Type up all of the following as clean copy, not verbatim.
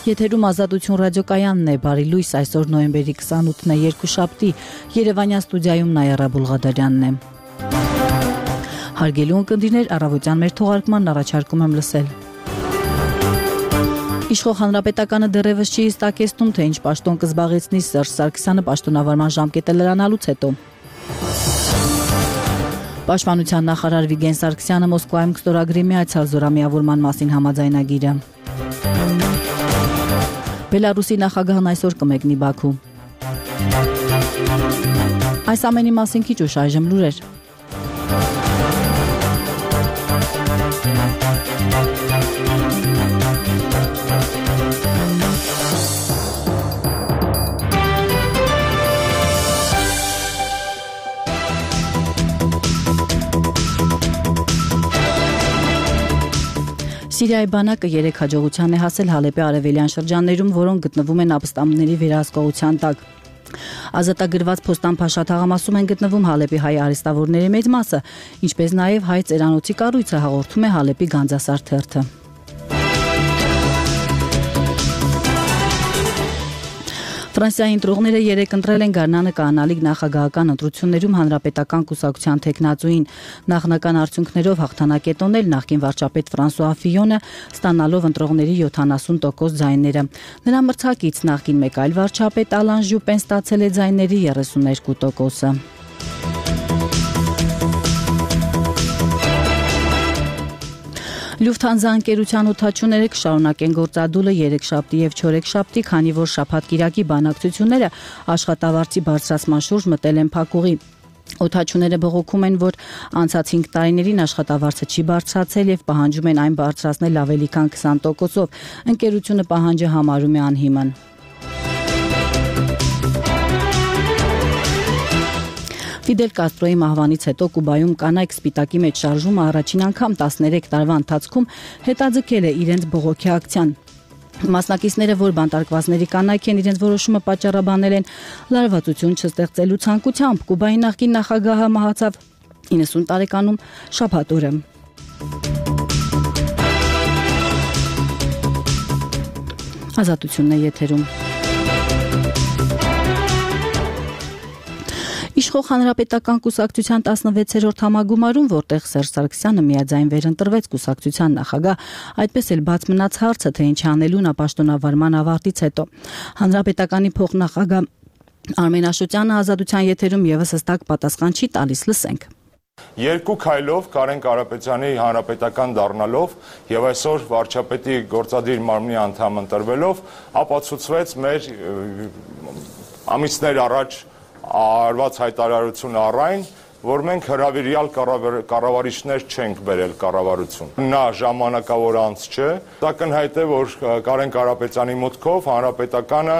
Եթերում Ազատություն ռադիոկայանն է, բարի լույս, այսօր նոյեմբերի 28-ն է, երկուշաբթի, Երևանյան ստուդիայում Նայարա Բուլղադարյանն է։ Հարգելի ունկնդիրներ, առավոտյան մեր թողարկմանն առաջարկում եմ լսել։ Իշխող հանրապետականը դեռևս չի հստակեցնում, թե ինչ պաշտոն կզբաղեցնի Սերժ Սարգսյանը պաշտոնավարման ժամկետը լրանալուց հետո։ Պաշտպանության նախարար Վիգեն Սարգսյանը Մոսկվայում կստորագրի միացյալ զորամիավորման մասին համաձայնագիրը։ Բելարուսի նախագահն այսօր կմեկնի Բաքու։ Այս ամենի մասին քիչ ուշ այժմ լուրեր։ Սիրիայի բանակը 3 հաջողության է հասել Հալեպի արևելյան շրջաններում, որոնք գտնվում են ապստամբների վերահսկողության տակ։ Ազատագրված Փոստան-Փաշա թաղամասում են գտնվում Հալեպի հայ արհեստավորների մեծ մասը, ինչպես նաև հայ ծերանոցի կառույցը, հաղորդում է Հալեպի Գանձասար թերթը։ Ֆրանսիայի ընտրողները 3 ընտրել են Գարնանը կանալիք նախագահական ընտրություններում հանրապետական կուսակցության թեկնածուին։ Նախնական արդյունքներով հաղթանակ է տոնել նախկին վարչապետ Ֆրանսուଆ Ֆիյոնը, ստանալով ընտրողների 70% ձայները։ Նրա մրցակից նախկին մեկ այլ վարչապետ Ալան Ժյուպեն ստացել է ձայների 32%-ը։ Լյուֆթանզա ընկերության օդաչուները կշարունակեն գործադուլը երեքշաբթի եւ չորեքշաբթի, քանի որ շաբաթ-կիրակի բանակցությունները աշխատավարձի բարձրացման շուրջ մտել են փակուղի։ Օդաչուները բողոքում են, որ անցած 5 տարիներին աշխատավարձը չի բարձրացել եւ պահանջում են այն բարձրացնել ավելի քան 20%-ով։ Ընկերությունը պահանջը համարում է անհիմն։ Ֆիդել Կաստրոյի մահվանից հետո Կուբայում կանայք սպիտակի մեջ շարժումը առաջին անգամ 13 տարվա ընթացքում հետաձգել է իրենց բողոքի ակցիան։ Մասնակիցները, որ բանտարկվածների կանայք են, իրենց որոշումը պատճառաբանել են լարվածություն չստեղծելու ցանկությամբ։ Կուբայի նախկին նախագահը մահացավ 90 տարեկանում շաբաթ օրը։ Ազատությունն է եթերում։ Իշխող հանրապետական կուսակցության 16-րդ համագումարում, որտեղ Սերժ Սարգսյանը միաձայն վերընտրվեց կուսակցության նախագահ, այդպես էլ բաց մնաց հարցը, թե ինչ անելու նա պաշտոնավարման ավարտից հետո։ Հանրապետականի փոխնախագահ Արմեն Աշոտյանը Ազատության եթերում եւս հստակ պատասխան չի տալիս, լսենք։ Երկու քայլով Կարեն Կարապետյանի հանրապետական դառնալով եւ այսօր վարչապետի գործադիր մարմնի անդամ ընտրվելով ապացուցվեց մեր ամիսներ առաջ արված հայտարարությունը առայն, որ մենք հրավիրյալ կառավարիչներ չենք բերել կառավարություն։ Նա ժամանակավոր անց չէ, ակնհայտ է, որ Կարեն Կարապետյանի մուտքով հանրապետականը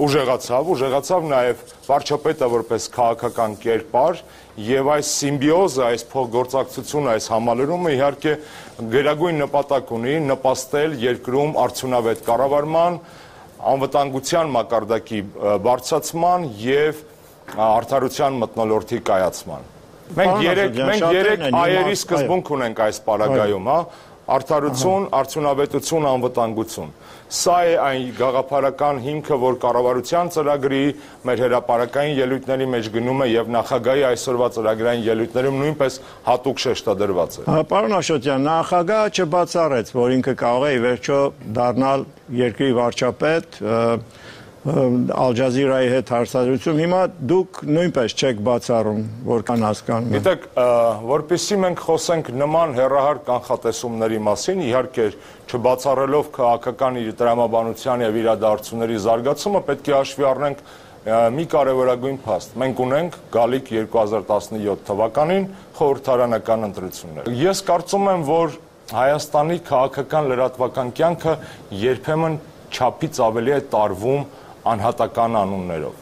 ուժեղացավ նաև վարչապետը որպես քաղաքական կերպար եւ այս սիմբիոզը, այս փոխգործակցությունը, այս համալրումը իհարկե գերագույն նպատակ ունի նպաստել երկրում արդյունավետ կառավարման, անվտանգության մակարդակի բարձրացման եւ արդարության մթնոլորտի կայացման։ Մենք երեք այերի սկզբունք ունենք այս պարագայում, արդարություն, արդյունավետություն, անվտանգություն։ Սա է այն գաղափարական հիմքը, որ կառավարության ծրագրի, մեր հրապարակային ելույթների մեջ գնում է եւ նախագահի այսօրվա ծրագրային ելույթներում նույնպես հատուկ շեշտադրված է։ Պարոն Աշոտյան, նախագահը չբացառեց, որ ինքը կարող է ի վերջո դառնալ երկրի վարչապետ, Ալ-Ջազիրայի հետ հարցադրություն, հիմա դուք նույնպես չեք բացառում, որքան հասկանում եմ։ Գիտեք, որպեսզի մենք խոսենք նման հեռահար կանխատեսումների մասին, իհարկե չբացառելով քաղաքական տրամաբանության եւ իրադարձությունների զարգացումը, պետք է հաշվի առնենք մի կարևորագույն փաստ։ Մենք ունենք գալիք 2017 թվականին խորհրդարանական ընտրություններ։ Ես կարծում եմ, որ Հայաստանի քաղաքական լրատվական կյանքը երբեմն չափից ավելի է տարվում անհատական անուններով։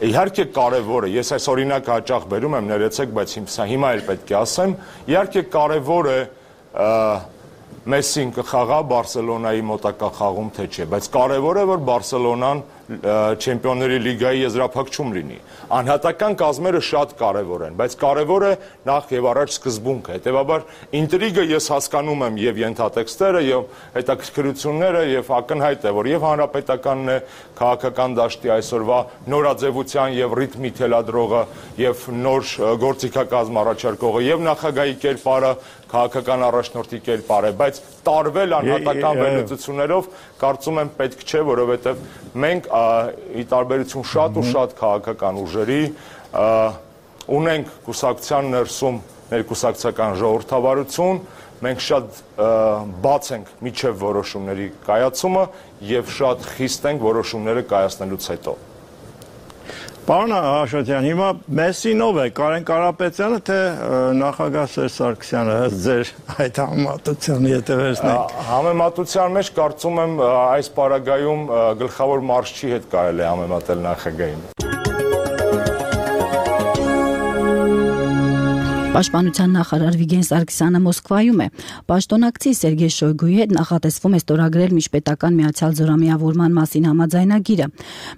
Իհարկե կարևոր է, ես այս օրինակը հաճախ բերում եմ, ներեցեք, բայց հիմա էլ պետք է ասեմ, իհարկե կարևոր է Մեսսին կխաղա Բարսելոնայի մոտակա խաղում թե չէ, բայց կարևոր է, որ Բարսելոնան Չեմպիոնների լիգայի եզրափակում լինի։ Անհատական կազմերը շատ կարևոր են, բայց կարևոր է նախ եւ առաջ սկզբունքը։ Հետևաբար ինտրիգը ես հասկանում եմ եւ ենթատեքստերը եւ հետաքրքրությունները եւ ակնհայտ է, որ եւ հանրապետականն է քաղաքական դաշտի այսօրվա նորաձևության եւ ռիթմի թելադրողը եւ նոր գործիքակազմ առաջարկողը եւ նախագահի կերպարը քաղաքական առաջնորդի կերպար է, բայց տարվել անհատական վերլուծություններով կարծում եմ պետք չէ, որովհետև մենք ի տարբերություն շատ ու շատ քաղաքական ուժերի ունենք կուսակցության ներսում ներկուսակցական ժողովրդավարություն, մենք շատ բաց ենք միջև որոշումների կայացումը եւ շատ խիստ ենք որոշումները կայացնելուց հետո։ Պարոն Աշոտյան, հիմա Մեսսին ով է, Կարեն Կարապետյանը, թե նախագահ Սերժ Սարգսյանը, ըստ ձեր այդ համեմատության եթե վերցնենք։ Համեմատության մեջ կարծում եմ այս պարագայում գլխավոր մարզչի հետ կարելի է համեմատել նախագահին։ Պաշտպանության նախարար Վիգեն Սարգսյանը Մոսկվայում է։ Պաշտոնակցի Սերգեյ Շոյգուի հետ նախատեսվում է ստորագրել միջպետական միացյալ զորամիավորման մասին համաձայնագիրը։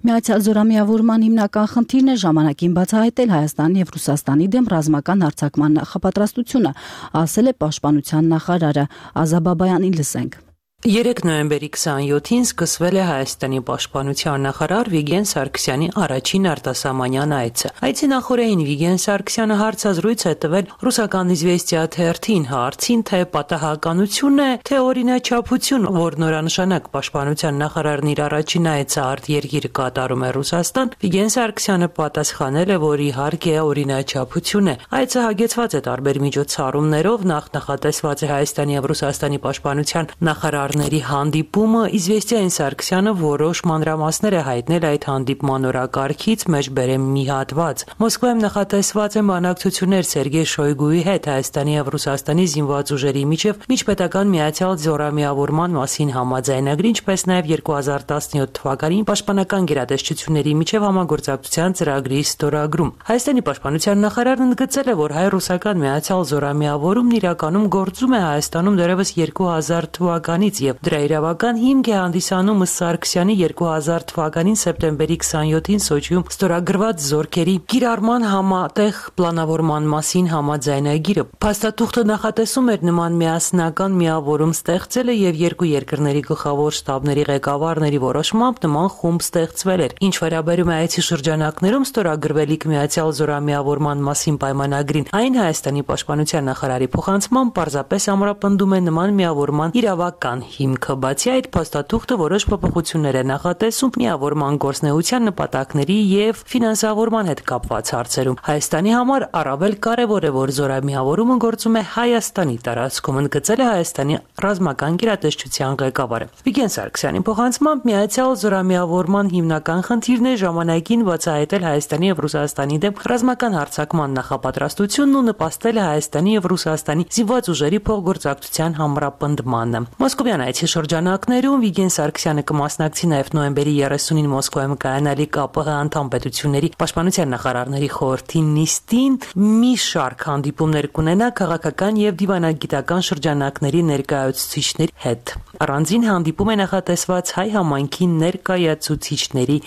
Միացյալ զորամիավորման հիմնական խնդիրն է ժամանակին բացահայտել Հայաստանի եւ Ռուսաստանի դեմ ռազմական հարձակման նախապատրաստությունը, ասել է պաշտպանության նախարարը։ Ազաբաբայանին լսենք։ 3 նոյեմբերի 27-ին սկսվել է Հայաստանի պաշտպանության նախարար Վիգեն Սարգսյանի առաջին արտասահմանյան այցը։ Այցի նախօրեին Վիգեն Սարգսյանը հարցազրույց է տվել ռուսական Իզվեստիա թերթին հարցին, թե պատահականություն է, թե օրինաչափություն, որ նորանշանակ պաշտպանության նախարարն իր առաջին այցը արտերկիր կատարում է Ռուսաստան, Վիգեն Սարգսյանը պատասխանել է, որ իհարկե օրինաչափություն է։ Այցը հագեցված է տարբեր միջոցառումներով, նախատեսված է Հայաստանի եւ Ռուսաստանի պաշտպանության նախարար հանդիպումը Իզվեստիային Սարգսյանը որոշ մանրամասներ է հայտնել այդ հանդիպման օրակարգից, մեջ բերեմ մի հատված։ Մոսկվայում նախատեսված են բանակցություններ Սերգեյ Շոյգուի հետ Հայաստանի եւ Ռուսաստանի զինված ուժերի միջև միջպետական միացյալ զորամիավորման մասին համաձայնագրի, ինչպես նաեւ 2017 թվականին պաշտպանական գերատեսչությունների միջև համագործակցության ծրագրի ստորագրում։ Հայաստանի պաշտպանության նախարարն ընդգծել է, որ հայ-ռուսական միացյալ զորամիավորումն իրականում գործում է Հայաստանում դեռևս 2000 թվականից եւ դրա իրավական հիմք է հանդիսանում Սարգսյանի 2000 թվականին սեպտեմբերի 27-ին Սոչիում ստորագրված զորքերի կիրառման համատեղ պլանավորման մասին համաձայնագիրը։ Փաստաթուղթը նախատեսում էր նման միասնական միավորում ստեղծելը եւ երկու երկրների գլխավոր շտաբների ղեկավարների որոշմամբ նման խումբ ստեղծվել էր։ Ինչ վերաբերում է այցի շրջանակներում ստորագրվելիք միացյալ զորամիավորման մասին պայմանագրին, այն Հայաստանի պաշտպանության նախարարի փոխանցմամբ պարզապես ամրապնդում է նման միավորման իրավական հիմքը, բացի այդ փաստաթուղթը որոշ փոփոխություններ է նախատեսում միավորման գործնեության նպատակների եւ ֆինանսավորման հետ կապված հարցերում։ Հայաստանի համար առավել կարեւոր է, որ զորամիավորումը գործում է Հայաստանի տարածքում, ընդգծել է Հայաստանի ռազմական գերատեսչության ղեկավարը։ Վիգեն Սարգսյանի փոխանցմամբ միացյալ զորամիավորման հիմնական խնդիրն է ժամանակին բացահայտել Հայաստանի եւ Ռուսաստանի դեմ ռազմական հարձակման նախապատրաստությունն ու նպաստել Հայաստանի եւ Ռուսաստանի զինված ուժերի փոխգործակցության ամրապնդմանը։ Մոսկովյան այցի շրջանակներում Վիգեն Սարգսյանը կմասնակցի նաև նոյեմբերի 30-ին Մոսկվայում կայանալիք ԱՊՀ անդամ պետությունների պաշտպանության նախարարների խորհրդի նիստին մի շարք հանդիպումներ կունենա քաղաքական եւ դիվանագիտական շրջանակների ներկայացուցիչների հետ։ Առանձին հանդիպում է նախատեսված հայ համայնքի ներկայացուցիչների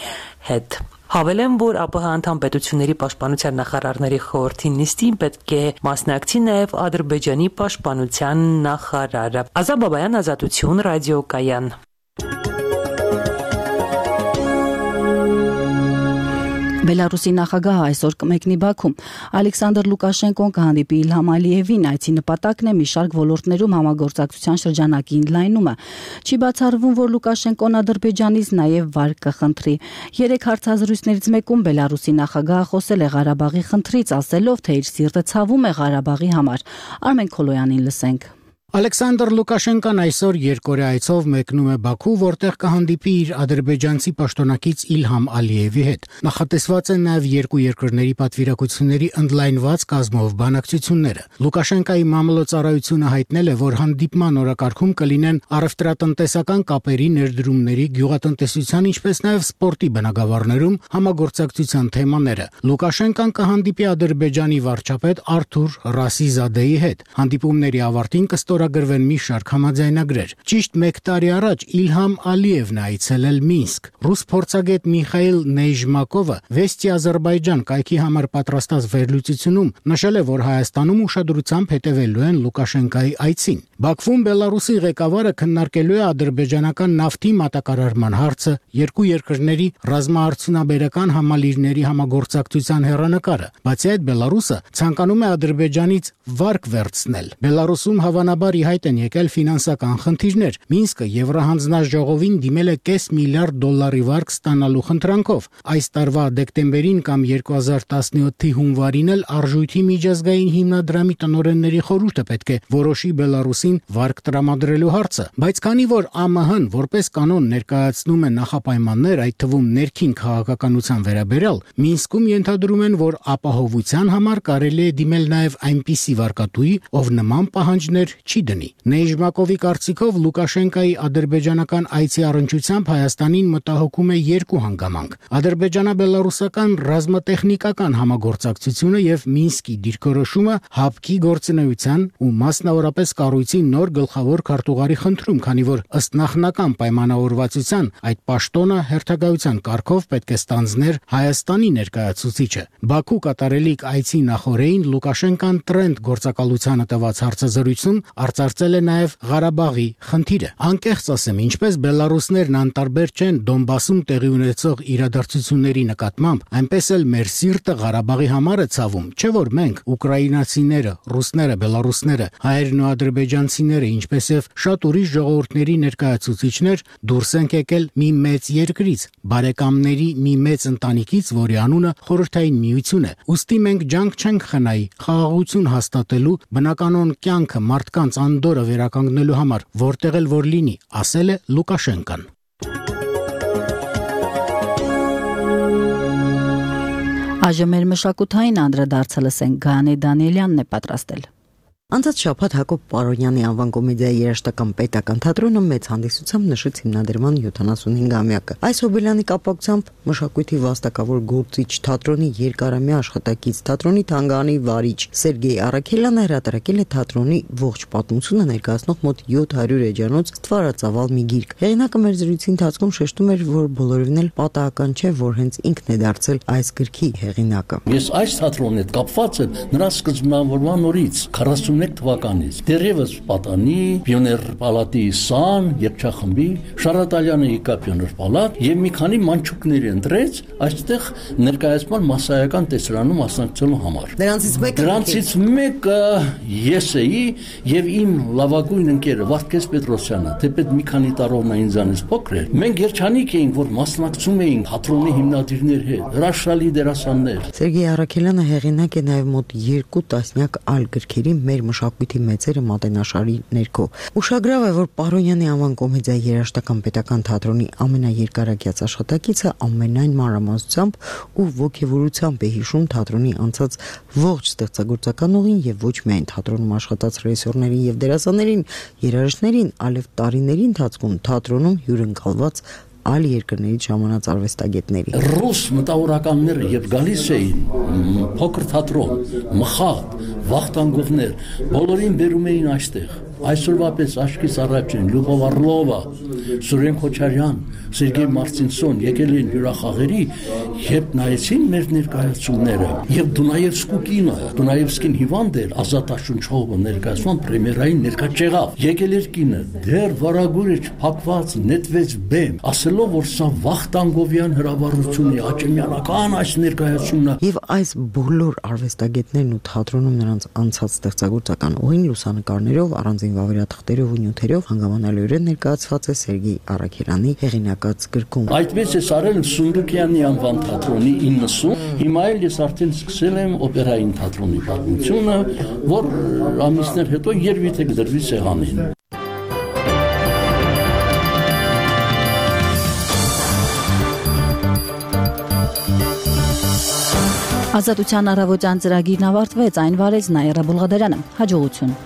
հետ։ Հավելեմ, որ ԱՊՀ անդամ պետությունների պաշտպանության նախարարների խորհրդի նիստին պետք է մասնակցի նաև Ադրբեջանի պաշտպանության նախարարը։ Ազաբաբայան, Ազատություն, ռադիոկայան։ Բելարուսի նախագահը այսօր կմեկնի Բաքու։ Ալեքսանդր Լուկաշենկոն կհանդիպի Իլհամ Ալիևին, այցի նպատակն է մի շարք ոլորտներում համագործակցության շրջանակի ընդլայնումը։ Չի բացառվում, որ Լուկաշենկոն Ադրբեջանից նաև վար կխնդրի։ 3 հարցազրույցներից մեկում Բելարուսի նախագահը խոսել է Ղարաբաղի խնդրից, ասելով, թե իր սիրտը ցավում է Ղարաբաղի համար։ Արմեն Քոլոյանին լսենք։ Ալեքսանդր Լուկաշենկոն այսօր երկօրյա այցով մեկնում է Բաքու, որտեղ կհանդիպի իր ադրբեջանցի պաշտոնակից Իլհամ Ալիևի հետ։ Նախատեսված են նաև երկու երկրների պատվիրակությունների ընդլայնված կազմով բանակցությունները։ Լուկաշենկայի մամլոյցարայությունը հայտնել է, որ հանդիպման օրակարգում կլինեն առևտրատնտեսական կապերի, ներդրումների, գյուղատնտեսության, ինչպես նաև սպորտի բնագավառներում համագործակցության թեմաները։ Լուկաշենկան կհանդիպի Ադրբեջանի վարչապետ Արթուր Ռասիզադեի հետ։ Հանդիպումների ավարտին կստորագրվի ստորագրվեն մի շարք համաձայնագրեր։ Ճիշտ 1 տարի առաջ Իլհամ Ալիևն այցելել Մինսկ։ Ռուս փորձագետ Միխայիլ Նեյժմակովը Վեստի Ադրբեջան կայքի համար պատրաստած վերլուծությունում նշել է, որ Հայաստանում ուշադրությամբ հետևելու են Լուկաշենկայի այցին։ Բաքվում Բելարուսի ղեկավարը քննարկելու է ադրբեջանական նավթի մատակարարման հարցը, երկու երկրների ռազմաարդյունաբերական համալիրների համագործակցության հեռանկարը։ Բացի այդ, Բելարուսը ցանկանում է Ադրբեջանից վարկ վերցնել։ Բելարուսում հավանաբար ի հայտ են եկել ֆինանսական խնդիրներ։ Մինսկը Եվրահանձնաժողովին դիմել է $500 միլիարդ վարկ ստանալու խնդրանքով։ Այս տարվա դեկտեմբերին կամ 2017-ի հունվարին էլ Արժույթի միջազգային հիմնադրամի տնօրենների խորհուրդը պետք է որոշի Բելարուսին վարկ տրամադրելու հարցը, բայց քանի որ ԱՄՆ-ն որպես կանոն ներկայացնում է նախապայմաններ, այդ թվում ներքին քաղաքականության վերաբերյալ, Մինսկում ենթադրում են, որ ապահովության համար կարելի է դիմել նաև այնպիսի վարկատուի, ով նման պահանջներ չի դնի։ Նեյժմակովի կարծիքով Լուկաշենկայի ադրբեջանական այցի առնչությամբ Հայաստանին մտահոգում է երկու հանգամանք՝ ադրբեջանա-բելարուսական ռազմատեխնիկական համագործակցությունը եւ Մինսկի դիրքորոշումը ՀԱՊԿ-ի գործունեության ու մասնավորապես կառույցի նոր գլխավոր քարտուղարի խնդրում, քանի որ ըստ նախնական պայմանավորվածության այդ պաշտոնը հերթագայության կարգով պետք է ստանձներ Հայաստանի ներկայացուցիչը։ Բաքու կատարելիք այցի նախօրեին Լուկաշենկան տրենդ գործակալությանը տված հարցազրույցում արծարծել է նաև Ղարաբաղի խնդիրը։ Անկեղծ ասեմ, ինչպես բելարուսներն անտարբեր չեն Դոնբասում տեղի ունեցող իրադարձությունների նկատմամբ, այնպես էլ մեր սիրտը Ղարաբաղի համար է ցավում, չէ՞ որ մենք ուկրաինացիները, ռուսները, բելարուսները, հայերն ու ադրբեջանցիները, ինչպես եւ շատ ուրիշ ժողովուրդների ներկայացուցիչներ դուրս ենք եկել մի մեծ երկրից, բարեկամների մի մեծ ընտանիքից, որի անունը Խորհրդային Միություն է։ Ուստի մենք ջանք չենք խնայի խաղաղություն հաստատելու, բնականոն կյանքը մարդկանց անդորը վերականգնելու համար, որտեղ էլ որ լինի, ասել է Լուկաշենկան։ Այժմ մեր մշակութային անդրադարձը լսենք, Գայանե Դանիելյանն է պատրաստել։ Անցած շաբաթ Հակոբ Պարոնյանի անվան կոմեդիայի երաժշտական պետական թատրոնը մեծ հանդիսությամբ նշեց հիմնադրման 75-ամյակը։ Այս հոբելյանի կապակցությամբ մշակույթի վաստակավոր գործիչ թատրոնի երկարամյա աշխատակից թատրոնի թանգարանի վարիչ Սերգեյ Արաքելյանը հրատարակել է թատրոնի ողջ պատմությունը ներկայացնող մոտ 700 էջանոց ստվարածավալ մի գիրք։ Հեղինակը մեր զրույցի ընթացքում շեշտում էր, որ բոլորովին էլ պատահական չէ, որ հենց ինքն է դարձել այս գրքի հեղինակը։ Ես այս թատրոնի հետ կապված եմ նրա սկզբնավորման օրից 41 թվականից դեռևս պատանի Պիոներ պալատի սան երգչախմբի Շարատալյանը եկա Պիոներ պալատ եւ մի քանի մանչուկների ընտրեց այստեղ ներկայացման մասսայական տեսարանում մասնակցելու համար։ Դրանցից մեկը ես էի եւ իմ լավագույն ընկերը Վարդգես Պետրոսյանը, թեպետ մի քանի տարով նա ինձանից փոքր էր։ Մենք երջանիկ էինք, որ մասնակցում էինք թատրոնի հիմնադիրների հետ, հրաշալի դերասաններ։ Սերգեյ Արաքելյանը հեղինակ է նաեւ մոտ 2 տասնյակ այլ գրքերի մեր մշակույթի մեծերը մատենաշարի ներքո։ Ուշագրավ է, որ Պարոնյանի անվան կոմեդիայի երաժշտական պետական թատրոնի ամենաերկարակյաց աշխատակիցը ամենայն մանրամասնությամբ ու ոգևորությամբ է հիշում թատրոնի անցած ողջ ստեղծագործական ուղին եւ ոչ միայն թատրոնում աշխատած ռեժիսորներին եւ դերասաններին, երաժիշտներին, այլև տարիների ընթացքում թատրոնում հյուրընկալված այլ երկրներից ժամանած արվեստագետների։ Ռուս մտավորականները երբ գալիս էին փոքր թատրոն, մխատ, վախտանգողներ, բոլորին բերում էին այստեղ։ Այսօրվա պես աչքից առաջին Լյուբով Արլովա, Սուրեն Քոչարյան, Սերգեյ Մարտինսոն եկել են հյուրախաղերի, երբ նայեցին մեր ներկայացումները, եւ Դունայևսկու կինը, Դունայևսկին հիվանդ էր, Ազատ Աշունչովը ներկայացման պրեմիերային ներկա չեղավ։ Եկել էր կինը, դեռ վարագույրը չփակված նետվեց բեմ, ասելով, որ սա Վախտանգովյան հրավառություն է, աճեմյանական այս ներկայացումն է։ Եվ այս բոլոր արվեստագետներն ու թատրոնում նրանց անցած ստեղծագործական ուղին լուսանկարներով առանձին վավերաթղթերով ու նյութերով հանգամանալիորեն ներկայացված է Սերգեյ Արաքելյանի հեղինակած գրքում։ Այդպես է արել Սունդուկյանի անվան թատրոնի 90, հիմա էլ ես արդեն սկսել եմ օպերային թատրոնի պատմությունը, որ ամիսներ հետո երևի թե կդրվի սեղանին։ Ազատության առավոտյան ծրագիրն ավարտվեց, այն վարեց Նաիրա Բուլղադարյանը։ Հաջողություն։